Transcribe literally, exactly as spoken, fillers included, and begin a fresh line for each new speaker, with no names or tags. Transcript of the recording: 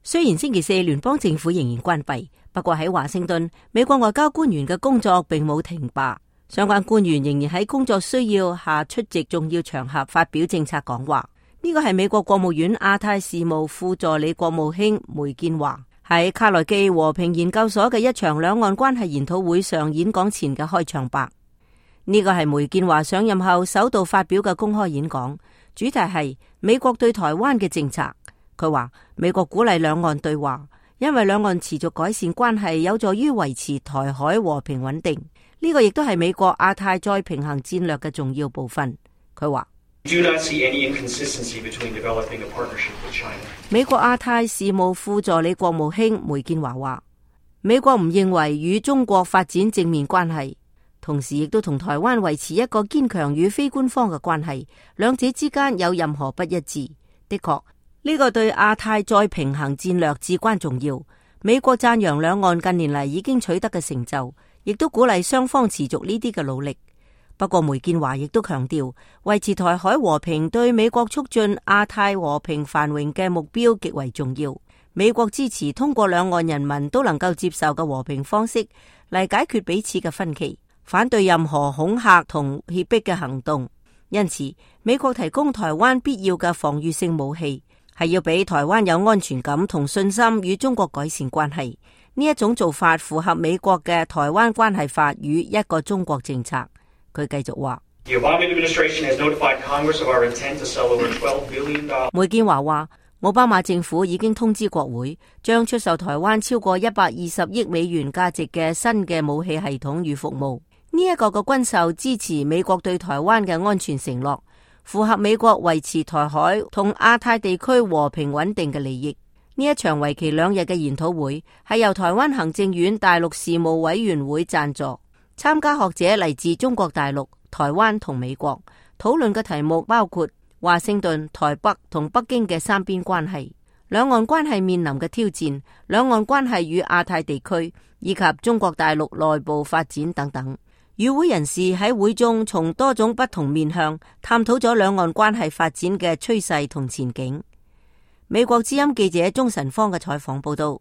雖然星期四聯邦政府仍然關閉，不過喺華盛頓，美國外交官員嘅工作並冇停罷，相關官員仍然喺工作需要下出席重要場合發表政策講話。呢個係美國國務院亞太事務副助理國務卿梅建華喺卡內基和平研究所嘅一場兩岸關係研討會上演講前嘅開場白。呢個係梅建華上任後首度發表嘅公開演講，主題係美國對台灣嘅政策。佢話美國鼓勵兩岸對話，因為兩岸持續改善關係有助於維持台海和平穩定。呢個亦都係美國亞太再平衡戰略嘅重要部分。佢話美國亞太事務副助理國務卿梅建華話，美國唔認為與中國發展正面關係，同時亦都同台灣維持一個堅強與非官方嘅關係，兩者之間有任何不一致。的確，呢個對亞太再平衡戰略至關重要。美國讚揚兩岸近年嚟已經取得嘅成就，亦都鼓勵雙方持續呢啲嘅努力。不過梅建華亦都強調，維持台海和平對美國促進亞太和平繁榮嘅目標極為重要。美國支持通過兩岸人民都能夠接受嘅和平方式嚟解決彼此嘅分歧，反對任何恐嚇同脅迫嘅行動。因此，美國提供台灣必要嘅防禦性武器，係要俾台灣有安全感同信心與中國改善關係。呢一種做法符合美國嘅台灣關係法與一個中國政策。佢繼續話，梅建華話，奧巴馬政府已經通知國會，將出售台灣超過一百二十億美元價值嘅新嘅武器系統與服務。呢一個嘅軍售支持美國對台灣嘅安全承諾，符合美國維持台海同亞太地區和平穩定嘅利益。呢一場為期兩日嘅研討會係由台灣行政院大陸事務委員會贊助。參加學者嚟自中國大陸、台灣同美國，討論嘅題目包括華盛頓、台北同北京嘅三邊關係、兩岸關係面臨嘅挑戰、兩岸關係與亞太地區以及中國大陸內部發展等等。與會人士喺會中從多種不同面向探討咗兩岸關係發展嘅趨勢同前景。美國之音記者鍾晨芳嘅採訪報道。